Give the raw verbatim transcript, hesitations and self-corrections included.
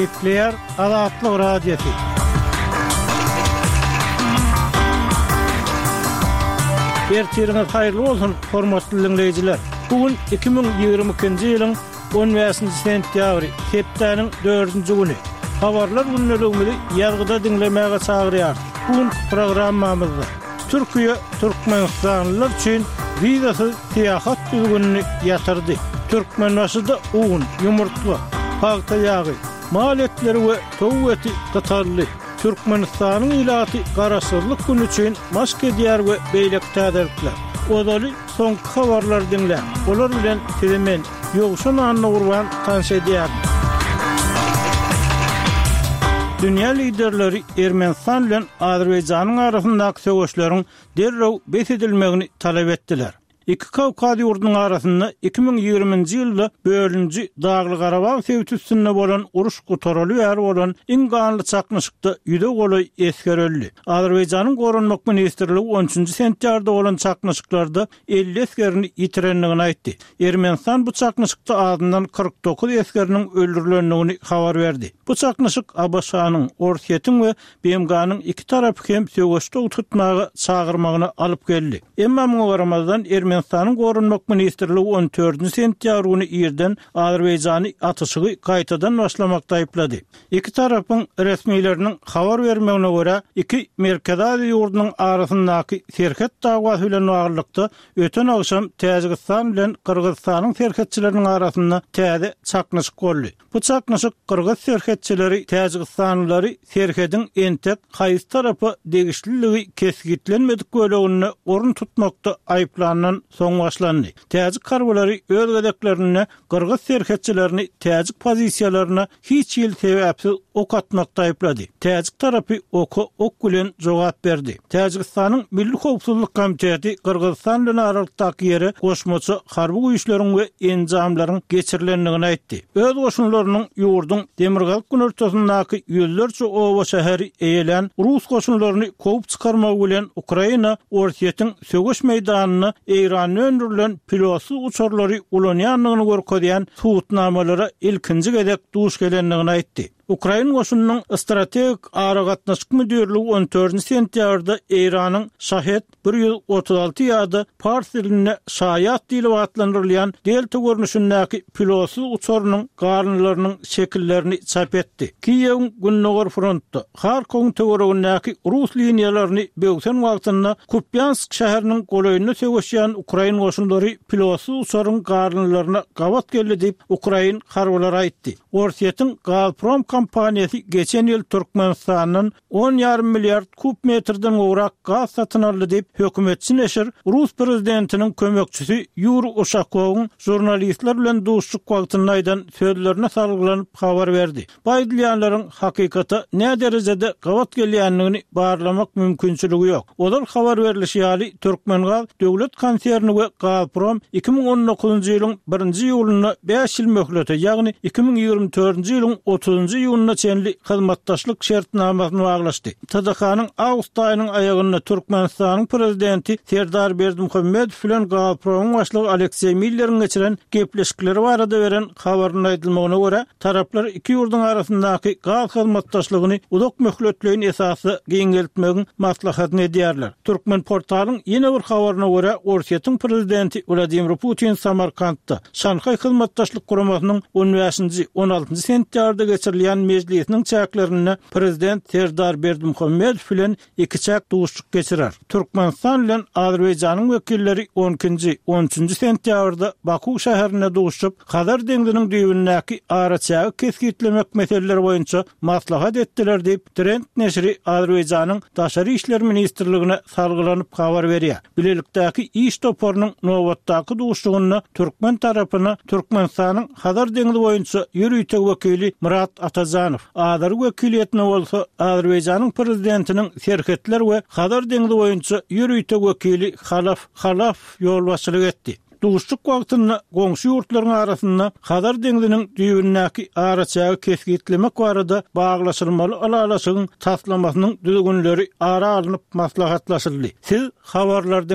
Gepleýär Azatlyk Radiosy. Ertiriňiz haýyrly bolsun, hormatly diňleýjiler. Bu gün iki müň ýigrimi ikinji ýylyň on bäşinji sentýabry, hepdäniň dördünji güni. Habarlar gündeligimizi ýazgyda diňlemäge çagyrýarys. Bu günki programmamyzda Türkiýe türkmenistanlylar üçin wizasyz syýahat düzgünini ýatyrdy. Türkmenbaşyda un, ýumurtga, pagta ýagy, mal etleri we towuk eti gytaldy. Türkmenistanyň ilaty Garaşsyzlyk güni üçin maşk edýär we beýleki täzelikler. Ozaly soňky habarlary diňläň. Olar bilen sizi men, Ýowşan Annagurban tanyş edýärin. Dünýä liderleri Ermenistan bilen Azerbaýjanyň arasyndaky söweşleriň derrew bes edilmegini talap etdiler. Iki Kawkaz ýurdunyň arasynda iki müň ýigriminji ýylda bölünji Dagly-Garabag sebiti üstünde bolan uruş gutaraly bäri bolan iň ganly çaknyşykda ýüze golaý esger öldi. Azerbaýjanyň Goranmak ministrligi on üçünji sentýabrda bolan çaknyşyklarda elli esgerini ýitirendigini aýtdy. Ermenistan bu çaknyşykda azyndan kyrk dokuz esgeriniň öldürilendigini habar berdi. Bu çaknyşyk A B Ş-nyň, Orsýetiň we B M G-nyň iki tarapy hem söweşde tutmaga çagyrmagyna alyp geldi. Emma muňa garamazdan Ermenistanyň Goranmak ministrligi on dördünji sentýabr güni irden Azerbaýjany atyşygy gaýtadan başlamakda aýyplady. Iki tarapyň resmileriniň habar bermegine görä, iki Merkezi Aziýa ýurdunyň arasyndaky serhet dawasy bilen baglylykda öten agşam Täjigistan bilen Gyrgyzystanyň serhetçileriniň arasynda täze çaknyşyk boldy. Bu çaknyşyk Gyrgyz serhetçileri Täjigistanlylary serhediň entek haýsy tarapa degişliligi kesgitlenmedik böleginde orun tutmakda aýyplandan soň başlandy. Täjik harbylary öz gezeklerinde Gyrgyz serhetçilerini täjik pozisiýalaryna hiç hil sebäpsiz ok atmakda aýyplady. Täjik tarapy oka ok bilen jogap berdi. Täjigistanyň Milli Howpsuzlyk Komiteti Gyrgyzystan bilen aralykdaky ýere goşmaça harby güýçleriň we enjamlaryň geçirilendigini aýtdy. Öz goşunlarynyň ýurduň demirgazyk günortasyndaky ýüzlerçe oba şäheri eýelän Rus goşunlaryny kowup çykarmagy bilen Ukraina Orsýetiň söweş meýdanyna Eýranda öndürilen pilotsyz uçarlary ulanýandygyny görkezýän subutnamalara ilkinji gezek duş gelendigini aýtdy. Ukrain goşunynyň strategik aragatnaşyk müdirligi on dördünji sentýabrda Eýranyň Şahed bir ýüz otuz alty ýa-da pars dilinde Şaýat diýlip atlandyrylýan Delta görnüşindäki pilotsyz uçarynyň galyndylarynyň şekillerini çap etdi. Kiýewiň gündogar frontda Harkowyň töweregindäki rus liniýalaryny böwsen wagtynda Kupýansk şäheriniň golaýynda söweşýän ukrain goşunlary pilotsyz uçaryň galyndylaryna gabat geldi diýip ukrain harbylary aýtdy. Orsýetiň Gazprom kompaniýasy geçen ýyl Türkmenistandan on ýarym milliard kub metrden gowrak gaz satyn aldy diýip hökümetçi neşir Rus prezidentiniň kömekçisi Ýuri Uşakowyň žurnalistler bilen duşuşyk wagtynda aýdan sözlerine salgylanyp habar berdi. Bu aýdylýanlaryň hakykata nä derejede gabat gelýändigini barlamak mümkinçiligi ýok. Ozal habar berilişi ýaly Türkmengaz döwlet konserni we Gazprom iki müň on dokuzynjy ýylyň birinji iýulynda bäş ýyl möhlete, ýagny iki müň ýigrimi dördünji ýylyň otuzynjy iýunyna çenli hyzmatdaşlyk şertnamasyny baglaşdy. T D K-nyň awgust aýynyň aýagynda Türkmenistanyň prezidenti Serdar Berdimuhamedow bilen Gazpromyň başlygy Alekseý Milleriň geçiren gepleşikleri barada beren habarynda aýdylmagyna görä, taraplar iki ýurduň arasyndaky gaz hyzmatdaşlygyny uzak möhletleýin esasda giňeltmegiň maslahatyny edýärler. Türkmen portalyň ýene bir habaryna görä, Orsýetiň prezidenti Wladimir Putin Samarkantda Şanhaý hyzmatdaşlyk guramasynyň on bäşinji, on altynjy sentýabrda geçirilýän mejlisiniň çäklerinde prezident Serdar Berdimuhamedow bilen ikiçäk duşuşyk geçirer. Türkmenistan bilen Azerbaýjanyň wekilleri on ikinji, on üçünji sentýabrda Baku şäherinde duşuşyp, Hazar deňziniň düýbündäki araçägi kesgitlemek meseleleri boýunça maslahat etdiler diýip, Trend neşiri Azerbaýjanyň Daşary işler ministrligine salgylanyp habar berýär. Bilelikdäki iş toparynyň nobatdaky duşuşygynda türkmen tarapyna Türkmenistanyň Hazar deňzi boýunça ýörite wekili Murat Atajanow, Azeri wekiliýetine bolsa Azerbaýjanyň prezidentiniň serhetler we Hazar deňzi boýunça ýörite wekili Halaf Halaf ýolbaşçylyk etdi. Duşuşyk wagtynda goňşy ýurtlaryň arasynda Hazar deňziniň düýbündäki araçägi kesgitlemek barada baglaşylmaly ylalaşygyň taslamasynyň düzgünleri ara alnyp maslahatlaşyldy. Siz habarlar diňlediniz.